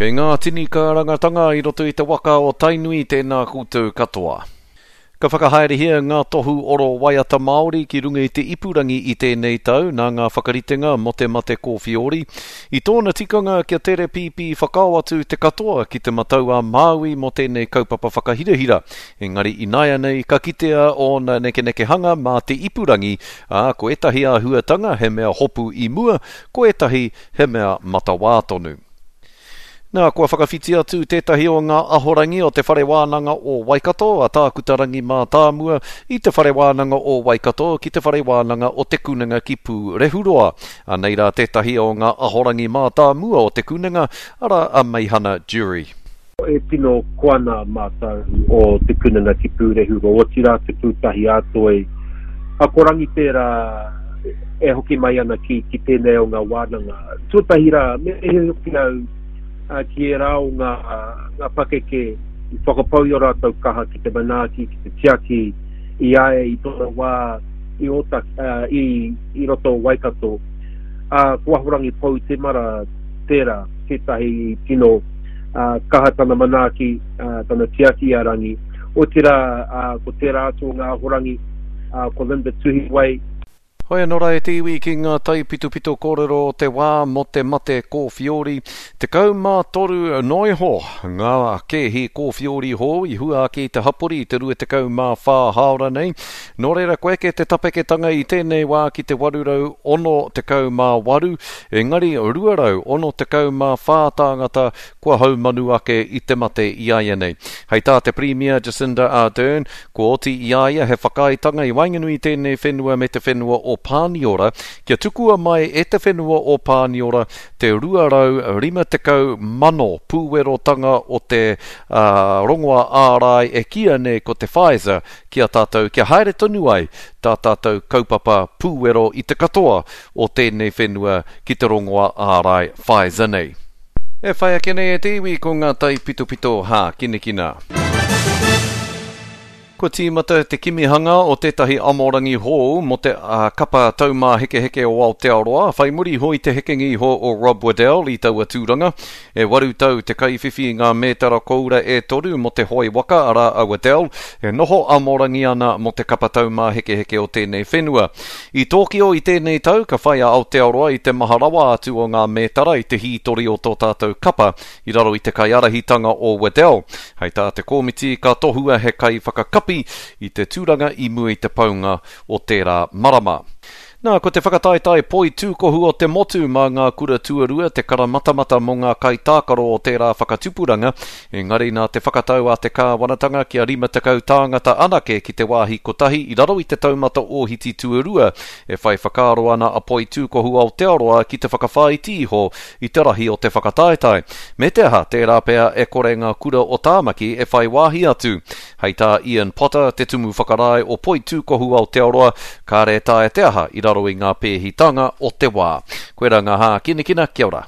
Kei ngā tini kārangatanga i roto i te waka o Tainui tēnā koutou katoa. Ka whakahaerehia ngā tohu oro waiata Māori ki runga i te ipurangi i tēnei tau nā ngā whakaritenga mō te mate kōwhiori. I tōna tikanga kia tere pīpī whakao atu te katoa ki Te Matau-a-Māui mō tēnei kaupapa whakahirahira. Engari ināianei ka kitea ōna nekenekehanga mā te ipurangi, ā, ko ētahi āhuatanga he mea hopu i mua, ko ētahi he mea matawā tonu. Nā, kua whakawhiti atu tētahi o ngā ahorangi o Te Whare Wānanga o Waikato, a Tākuta Rangi Mātāmua, i Te Whare Wānanga o Waikato ki Te Whare Wānanga o Te Kunenga ki Pūrehuroa. Anei rā tētahi o ngā ahorangi mātāmua o Te Kunenga, arā a Meihana Jury. E tino koa ana mātou o Te Kunenga ki Pūrehuroa, otirā Te Pūtahi-ā-Toi. Ko Rangi tērā e hoki mai ana ki, ki tēnei o ngā wānanga. Tuatahi rā, me mihi hoki au ki ērā o ngā, ngā pakeke i whakapau i ō rātou kaha ki te manaaki, ki te tiaki i a ia i tōna wā i Ōtaki, i, i roto o Waikato. Ā, ko Ahorangi Pou Temara tērā, tētahi i tino kaha tana manaaki, tana tiaki i a Rangi. Otirā, ko tērā atu o ngā ahorangi, ko Linda Tuhiwai. Hoi anō rā e te iwi ki ngā taipitopito kōrero o te wā mō te mate kōwhiori. 13 noa iho ngā kēhi kōwhiori hou i hua ake i te hapori i te 24 hāora nei. Nō reira, kua eke te tapeketanga i tēnei wā ki te 868, engari 264 tāngata kua haumanu ake i te mate iaianei. Hei tā te Pirimia Jacinda Ardern, kua oti i a ia he whakaaetanga i waenganui i tēnei whenua me te whenua o Pāniora kia tukua mai e te whenua o Pāniora te 250,000 pūwerotanga o te rongoa ārai e kīia nei ko te Pfizer ki a tātou kia haere tonu ai tā tātou kaupapa pūwero i te katoa o tēnei whenua ki te rongoa ārai Pfizer nei. E whai ake nei e te iwi ko ngā taipitopito hākinakina. Kua tīmata te kimihanga o tētahi amorangi hou mō te kapa Taumāhekeheke o Aotearoa, whai muri iho i te hekenga iho o Rob Waddell i taua tūranga. E waru tau te kaiwhiwhi i ngā mētara koura e toru mō te hoe waka, arā a Waddell, e noho amorangi ana mō te kapa Taumāhekeheke o tēnei whenua. I Tōkio i tēnei tau, ka whai a Aotearoa i te maha rawa atu o ngā mētara i te hītori o tō tātou kapa i raro i te kaiārahitanga o Waddell. Hei tā te komiti, ka tohua he kaiwhakakapi i te tūranga i mua i te paunga o tērā marama. Nā, ko te whakataetae poitūkohu o te motu mā ngā kura tuarua te karamatamata mō ngā kaitākaro o tērā whakatupuranga, engari nā te whakatau a te kāwanatanga kia 50 tāngata anake ki te wāhi kotahi i raro i te taumata ōhiti tuarua, e whai whakaaro ana a Poitūkohu Aotearoa ki te whakawhāiti iho i te rahi o te whakataetae. Me te aha, tērā pea e kore ngā kura o Tāmaki e whai wāhi atu. Hei tā Ian Potter, te Tumu Whakarae o Poitūkohu Aotearoa, kāre e taea te aha i raro i ngā pēhitanga o te wā. Koirā ngā hākinakina, kia ora.